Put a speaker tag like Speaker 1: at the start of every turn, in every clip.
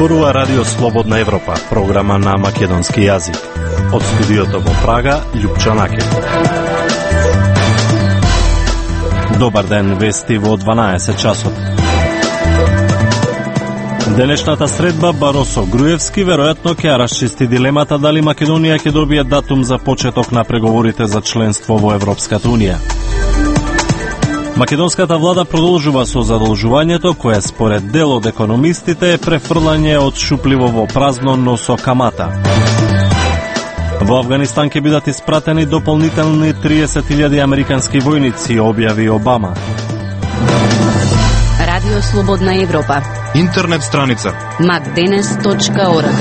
Speaker 1: зборува Радио Слободна Европа, програма на македонски јазик. Од студиото во Прага, Љупчо Накев. Добар ден, вести во 12 часот. Денешната средба Баросо-Груевски веројатно ќе расчисти дилемата дали Македонија ќе добие датум за почеток на преговорите за членство во Европската Унија. Македонската влада продолжува со задолжувањето кое според дел од економистите е префрлање од шупливо во празно, но со камата. Во Авганистан ќе бидат испратени дополнителни 30.000 американски војници, објави Обама.
Speaker 2: Радио Слободна Европа.
Speaker 3: Интернет страница
Speaker 2: macdenes.org.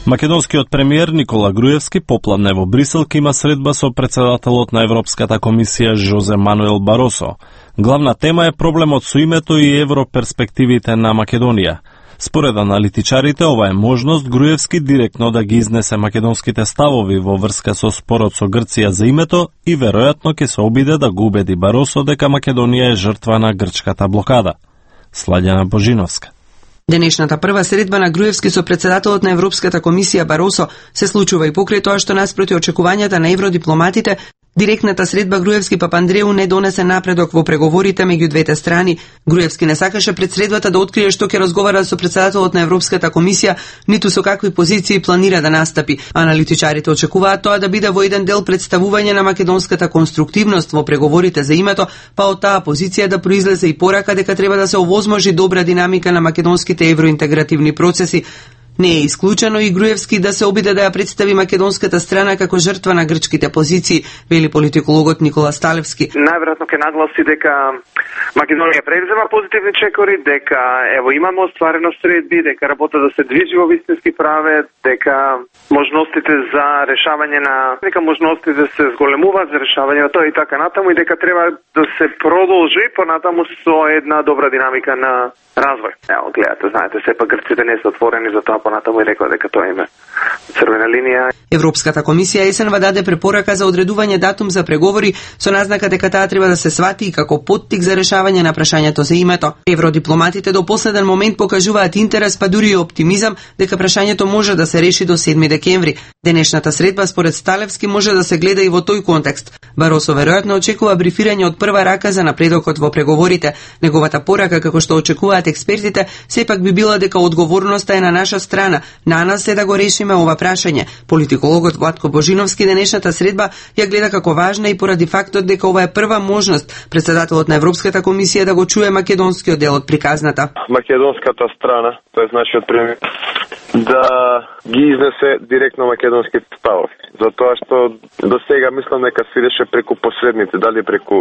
Speaker 1: Македонскиот премиер Никола Груевски попладне во Брисел ќе има средба со председателот на Европската комисија Жозе Мануел Баросо. Главна тема е проблемот со името и европерспективите на Македонија. Според аналитичарите, ова е можност Груевски директно да ги изнесе македонските ставови во врска со спорот со Грција за името и веројатно ќе се обиде да го убеди Баросо дека Македонија е жртва на грчката блокада. Сладјана Божиновска.
Speaker 4: Денешната прва средба на Груевски со председателот на Европската комисија Баросо се случува и покрај тоа што наспроти очекувањата на евродипломатите, директната средба Груевски-Папандреу не донесе напредок во преговорите меѓу двете страни. Груевски не сакаше пред средбата да открие што ќе разговара со председателот на Европската комисија, ниту со какви позиции планира да настапи. Аналитичарите очекуваат тоа да биде во еден дел представување на македонската конструктивност во преговорите за името, па од таа позиција да произлезе и порака дека треба да се овозможи добра динамика на македонските евроинтегративни процеси. Не е исклучено и Груевски да се обиде да ја представи македонската страна како жртва на грчките позиции, вели политикологот Никола Сталевски.
Speaker 5: Најверојатно ќе нагласи дека Македонија превзема позитивни чекори, дека ево имаме остварено средби, дека работа да се движи во вистински праве, дека можностите за решавање на можностите да се зголемуваат за решавање на тоа и така натаму и дека треба да се продолжи понатаму со една добра динамика на развој. Ево, гледате, знаете, сепак грците не се отворени за тоа, понатаму и рекла дека тоа име црвена линија.
Speaker 4: Европската комисија есенва даде препорака за одредување датум за преговори со назнака дека таа треба да се свати и како поттик за решавање на прашањето за името. Евродипломатите до последен момент покажуваат интерес, па дури и оптимизам дека прашањето може да се реши до 7 декември. Денешната средба според Сталевски може да се гледа и во тој контекст. Баросо веројатно очекува брифирање од прва рака за напредокот во преговорите. Неговата порака, како што очекуваат експертите, сепак би била дека одговорноста е на наша страна. На нас е да го решиме ова прашање. Политикологот Владко Божиновски денешната средба ја гледа како важна и поради фактот дека ова е прва можност председателот на Европската комисија да го чуе македонскиот дел од приказната.
Speaker 6: Македонската страна, тоа е нашиот премиер, да ги изнесе директно македонските ставови. Затоа што до сега мислам дека се идеше преку посредници, дали преку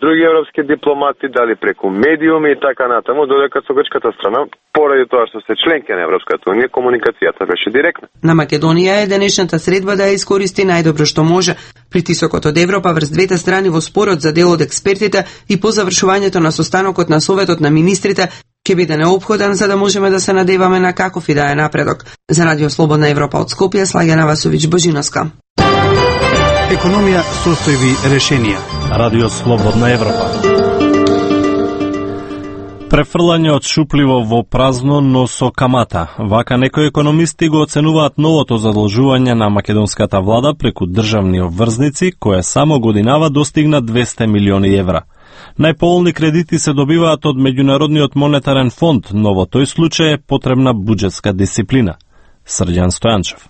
Speaker 6: други европски дипломати, дали преку медиуми и така натаму, додека со грчката страна, поради тоа што се членки на Европската унија, комуникацијата беше директна.
Speaker 4: На Македонија е денешната средба да ја искористи најдобро што може. Притисокот од Европа врз двете страни во спорот за дел од експертите и по завршувањето на состанокот на Советот на министрите ќе биде неопходен за да можеме да се надеваме на каков и да е напредок. За Радио Слободна Европа од Скопје, Слагјана Васовиќ Божиновска.
Speaker 3: Економија, состојби, решенија.
Speaker 1: Радио Слободна Европа. Префрлање од шупливо во празно, но со камата. Вака некои економисти го оценуваат новото задолжување на македонската влада преку државни обврзници, кое само годинава достигна 200 милиони евра. Најполни кредити се добиваат од Меѓународниот монетарен фонд, но во тој случај е потребна буџетска дисциплина. Срđan Стојанчев.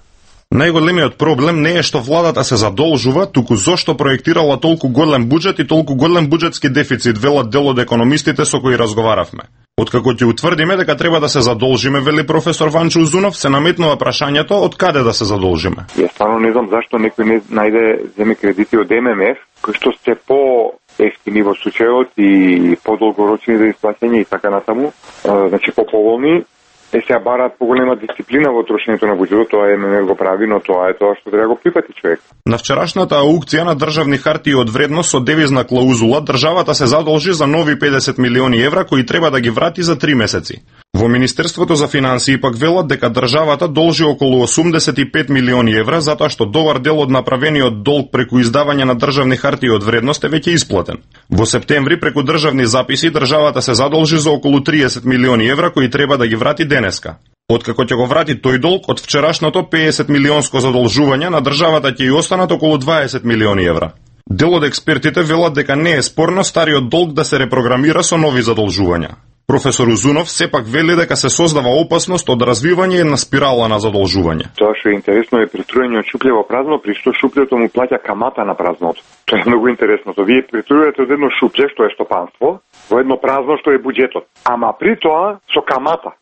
Speaker 7: Најголемиот проблем не е што владата се задолжува, туку зошто проектирала толку голем буџет и толку голем буџетски дефицит, велат дел од економистите со кои разговаравме. Откако ќе утврдиме дека треба да се задолжиме, вели професор Ванчо Узунов, се наметнува прашањето од каде да се задолжиме.
Speaker 8: Јас стварно не знам зашто некој не најде земе кредити од ММФ, кои што се по-ефтини во случајот и по-долгорочни за исплаќање и така натаму, значи по-поволни. Сега бараат поголема дисциплина во трошењето на буџетот, тоа ММФ го прави, но тоа е тоа што треба го прифати човек.
Speaker 7: На вчерашната аукција на државни хартии од вредност со девизна клаузула, државата се задолжи за нови 50 милиони евра кои треба да ги врати за 3 месеци. Во Министерството за финансии пак велат дека државата должи околу 85 милиони евра затоа што добар дел од направениот долг преку издавање на државни хартии од вредност е веќе исплатен. Во септември преку државни записи државата се задолжи за околу 30 милиони евра кои треба да ги врати денеска. Откако ќе го врати тој долг, од вчерашното 50 милионско задолжување на државата ќе и останат околу 20 милиони евра. Дел од експертите велат дека не е спорно стариот долг да се репрограмира со нови задолжувања. Професор Узунов сепак вели дека се создава опасност од развивање една спирала на задолжување.
Speaker 8: Тоа што е интересно е притрујање од шупле во празно, при што шуплето му плаќа камата на празното. Тоа е многу интересно. Вие притрујате од едно шупле што е стопанство во едно празно што е буџетот, ама при тоа со камата.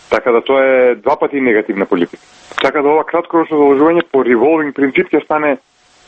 Speaker 8: Така да тоа е два пати негативна политика. Така да ова краткорочно задолжување по револвинг принцип ќе стане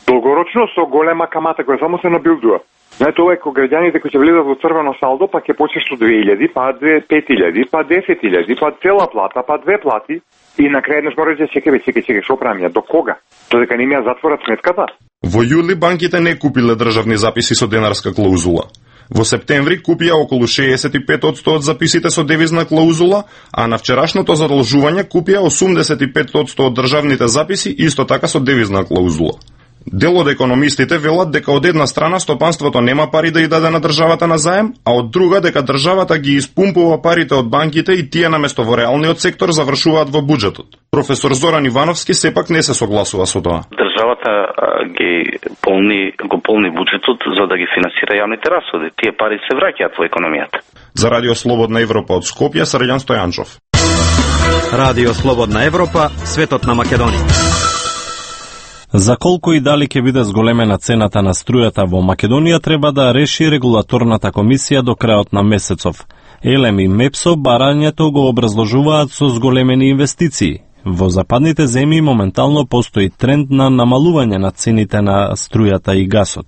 Speaker 8: долгорочно со голема камата која само се набилдува. Знаете, ова е кога граѓаните кои ќе влезат во црвено салдо, па ќе почнеш со 2000, па 5000, па 10000, па цела плата, па две плати и на крај еднаш мора да чекај, што правиме, до кога? Додека не ми ја затворат сметката?
Speaker 7: Во јули банките не купиле државни записи со денарска клаузула. Во септември купија околу 65% од записите со девизна клаузула, а на вчерашното задолжување купија 85% од државните записи исто така со девизна клаузула. Дел од економистите велат дека од една страна стопанството нема пари да ја даде на државата на заем, а од друга дека државата ги испумпува парите од банките и тие наместо во реалниот сектор завршуваат во буџетот. Професор Зоран Ивановски сепак не се согласува со тоа.
Speaker 9: Државата го полни буџетот за да ги финансира јавните расходи. Тие пари се враќаат во економијата.
Speaker 7: За Радио Слободна Европа од Скопје, Срđan Стојанчов.
Speaker 3: Радио Слободна Европа, светот на Македонија.
Speaker 1: За колку и дали ќе биде зголемена цената на струјата во Македонија треба да реши регулаторната комисија до крајот на месецов. ЕЛЕМ и МЕПСО барањето го образложуваат со зголемени инвестиции. Во западните земји моментално постои тренд на намалување на цените на струјата и гасот.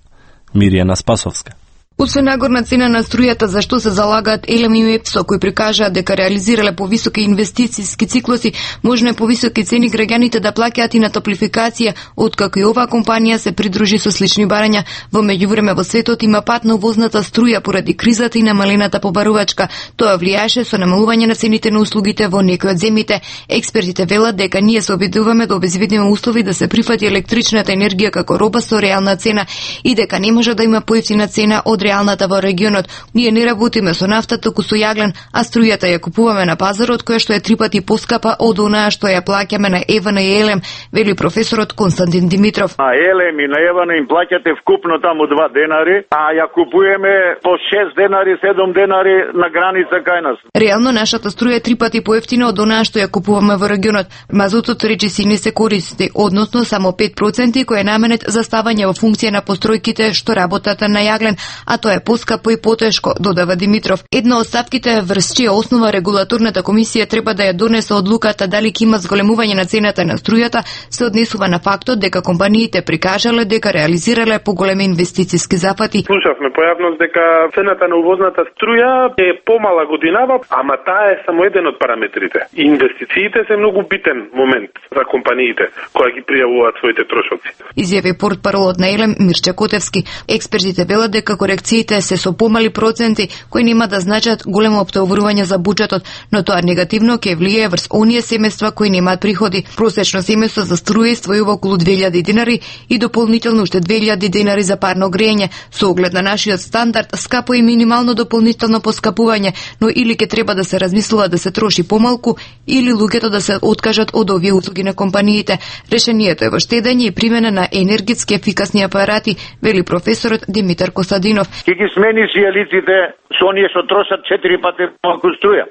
Speaker 1: Мирјана Спасовска.
Speaker 10: Освен нагорна цена на струјата за што се залагаат ЕЛЕМ и МЕПСО, кои прикажаат дека реализирале повисоки инвестициски циклуси, можно е повисоки цени граѓаните да плаќаат и на топлификација, откако и оваа компанија се придружи со слични барања. Во меѓувреме во светот има пат на увозната струја поради кризата и намалената побарувачка. Тоа влијаше со намалување на цените на услугите во некои од земјите. Експертите велат дека ние се обидуваме да обезбедиме услови да се прифати електричната енергија како роба со реална цена и дека не може да има поевтина цена од реалната во регионот. Ние не работиме со нафта, туку со јаглен, а струјата ја купуваме на пазарот, која што е 3 пати поскапа од онаа што ја плаќаме на ЕВН и ЕЛЕМ, вели професорот Константин Димитров.
Speaker 11: На ЕЛЕМ и на ЕВН им плаќате вкупно таму 2 денари, а ја купуваме по 6 денари, 7 денари на граница кај нас.
Speaker 10: Реално нашата струја е 3 пати поевтина од онаа што ја купуваме во регионот. Мазутот речиси не се користи, односно само 5% кој е наменет за ставање во функција на постројките што работат на јаглен, а тоа е поскапо и потешко, додава Димитров. Една од стапките врз чија основа регулаторната комисија треба да ја донесе одлуката дали ќе има зголемување на цената на струјата, се однесува на фактот дека компаниите прикажале дека реализирале поголеми инвестициски зафати.
Speaker 12: Слушавме појавност дека цената на увозната струја е помала годинава, ама таа е само еден од параметрите. Инвестициите се многу битен момент за компаниите кои ги пријавуваат своите трошоци.
Speaker 10: Изјави портпаролот на ЕЛЕМ Мирча Котевски. Експертите велат дека корекциите се со помали проценти кои нема да значат големо оптоврување за буџетот, но тоа негативно ќе влијае врз оние семејства кои немаат приходи. Просечно семејство за струја иствојува околу 2000 денари и дополнително уште 2000 денари за парно грејење. Со оглед на нашиот стандард, скапо и минимално дополнително поскапување, но или ќе треба да се размислува да се троши помалку, или луѓето да се откажат од овие услуги на компаниите. Решението е во штедење и примена на енергетски ефикасни апарати, вели професорот Димитар Костадинов.
Speaker 11: Ќе ги смени сијалиците со оние што трошат 4 пати малку струја.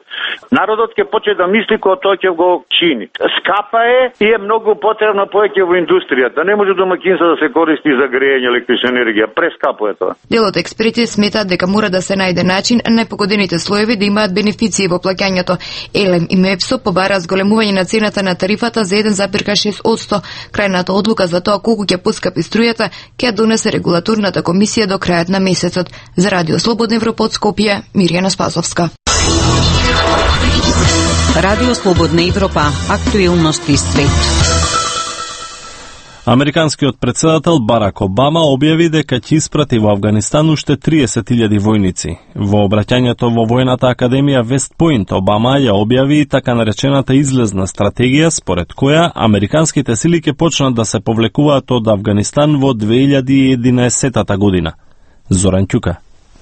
Speaker 11: Народот ќе почне да мисли кога тоа ќе го чини. Скапа е и е многу потребна повеќе во индустријата. Не може домаќинство да се користи за грејење електрична енергија. Прескапо е тоа.
Speaker 10: Дел од експерти сметаат дека мора да се најде начин најпогодените слоеви да имаат бенефиции во плаќањето. ЕЛЕМ и МЕПСО побара зголемување на цената на тарифата за 1,6%. Крајната одлука за тоа колку ќе поскапи струјата ќе донесе регулаторната комисија до крајот на месецот. За Радио Слободна Европа од Скопје, Мирјана Спасовска.
Speaker 2: Радио Слободна Европа, актуелности свет.
Speaker 1: Американскиот председател Барак Обама објави дека ќе испрати во Авганистан уште 30.000 војници. Во обраќањето во војната академија Вест Поинт, Обама ја објави и така наречената излезна стратегија, според која американските сили ќе почнат да се повлекуваат од Авганистан во 2011 година. Зоран Ќука.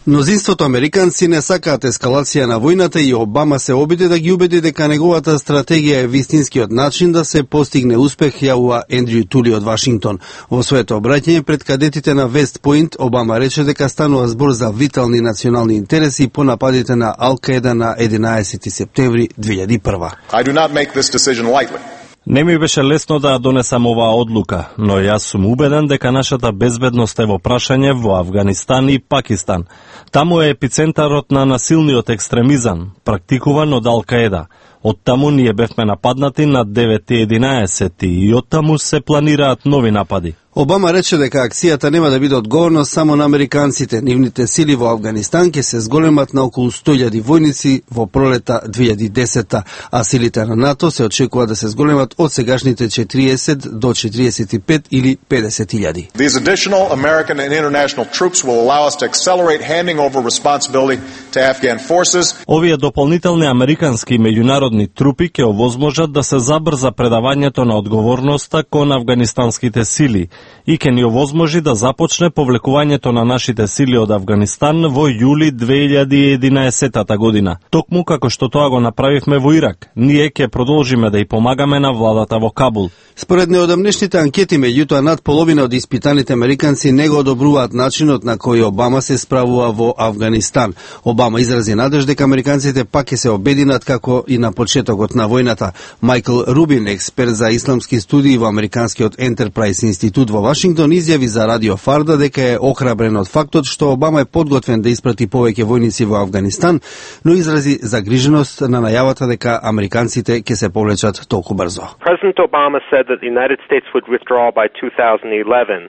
Speaker 13: Мнозинството американци не сакаат ескалација на војната и Обама се обиди да ги убеди дека неговата стратегија е вистинскиот начин да се постигне успех, јавува Ендрю Тули од Вашингтон. Во своето обраќање пред кадетите на Вест Поинт, Обама рече дека станува збор за витални национални интереси по нападите на Ал-Каеда на 11 септември 2001.
Speaker 14: I do not make this decision lightly.
Speaker 1: Не ми беше лесно да донесам оваа одлука, но јас сум убеден дека нашата безбедност е во прашање во Авганистан и Пакистан. Таму е епицентарот на насилниот екстремизам, практикуван од Ал-Каеда. Од таму ние бевме нападнати на 9.11 и од таму се планираат нови напади.
Speaker 13: Обама рече дека акцијата нема да биде одговорност само на американците. Нивните сили во Авганистан ќе се зголемат на околу 100.000 војници во пролета 2010, а силите на НАТО се очекува да се зголемат од сегашните 40 до 45 или 50.000.
Speaker 14: These additional American and international troops will allow us to accelerate handing over responsibility to Afghan forces.
Speaker 1: Овие дополнителни американски и меѓународни трупи ќе овозможат да се забрза предавањето на одговорноста кон афганистанските сили и ќе ни овозможи да започне повлекувањето на нашите сили од Авганистан во јули 2011 година. Токму како што тоа го направивме во Ирак, ние ќе продолжиме да ја помагаме на владата во Кабул.
Speaker 13: Според неодамнешните анкети, меѓутоа над половина од испитаните американци не го одобруваат начинот на кој Обама се справува во Авганистан. Обама изрази надеж дека американците пак ќе се обединат како и на почетокот на војната. Майкл Рубин, експерт за исламски студии во Американскиот Ентерпрайз институт во Вашингтон, изјави за Радио Фарда дека е охрабрен од фактот што Обама е подготвен да испрати повеќе војници во Авганистан, но изрази загриженост на најавата дека американците ќе се повлечат толку брзо.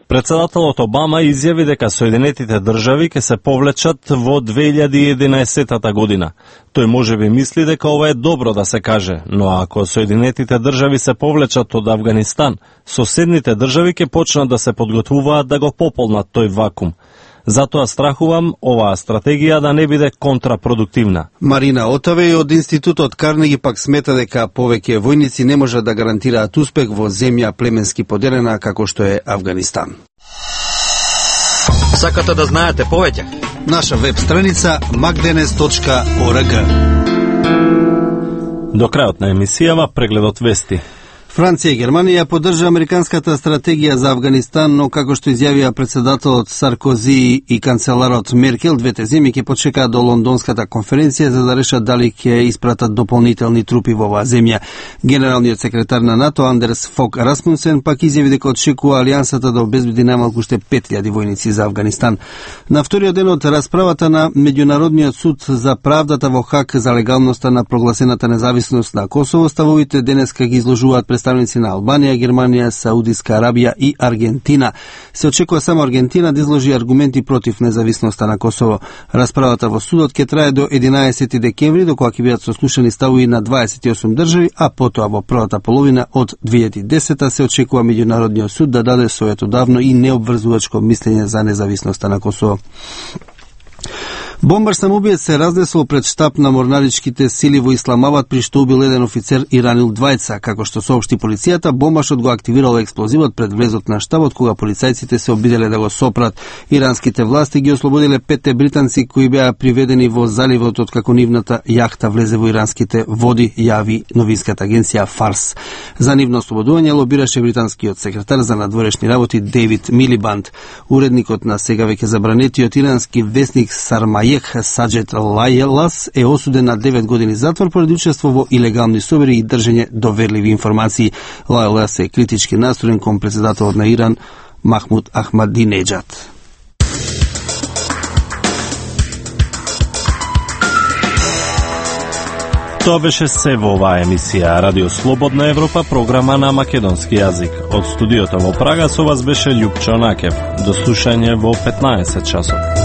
Speaker 1: Председателот Обама изјави дека Соединетите држави ќе се повлечат во 2011 година. Тој можеби мисли дека ова е добро да се каже, но ако Соединетите држави се повлечат од Авганистан, соседните држави ќе почнат да се подготвуваат да го пополнат тој вакуум. Затоа страхувам оваа стратегија да не биде контрапродуктивна.
Speaker 13: Марина Отаве од Институтот Карнеги пак смета дека повеќе војници не можат да гарантираат успех во земја племенски поделена како што е Авганистан.
Speaker 3: Сакате да знаете повеќе?
Speaker 13: Наша веб страница magdenes.org.
Speaker 1: До крајот на емисијава прегледот вести.
Speaker 13: Франција и Германија поддржа американската стратегија за Авганистан, но како што изјавија председателот Саркози и канцеларот Меркел, двете земји ќе почекаат до лондонската конференција за да решат дали ќе испратат дополнителни трупи во оваа земја. Генералниот секретар на НАТО Андерс Фок Расмунсен пак изјави дека очекува алијансата да обезбеди најмалку уште 5.000 војници за Авганистан. На вториот ден од расправата на Меѓународниот суд за правдата во Хаг за легалноста на прогласената независност на Косово, ставовите денеска ги изложуваат представници на Албанија, Германија, Саудиска Арабија и Аргентина. Се очекува само Аргентина да изложи аргументи против независноста на Косово. Расправата во судот ќе трае до 11 декември, до кога ќе бидат сослушани ставови на 28 држави, а потоа во првата половина од 2010 се очекува Меѓународниот суд да даде своето давно и необврзувачко мислење за независноста на Косово. Бомбар самоубиец се разнесол пред штаб на морнаричките сили во Исламабад, при што убил еден офицер и ранил двајца. Како што соопшти полицијата, бомбашот го активирал експлозивот пред влезот на штабот, кога полицајците се обиделе да го сопрат. Иранските власти ги ослободиле 5 британци кои беа приведени во заливот од како нивната јахта влезе во иранските води, јави новинската агенција Фарс. За нивно ослободување лобираше британскиот секретар за надворешни работи Дейвид Милибанд. Уредникот на сега веќе забранетиот ирански весник Сармајех Саджет Лајелас е осуден на 9 години затвор поради учество во илегални собери и држење доверливи информации. Лајелас е критички настроен кон председателот на Иран Махмуд Ахмадинеджад.
Speaker 1: Тоа беше се во оваа емисија Радио Слободна Европа, програма на македонски јазик. Од студиото во Прага со вас беше Љупчо Накев. До слушање во 15 часот.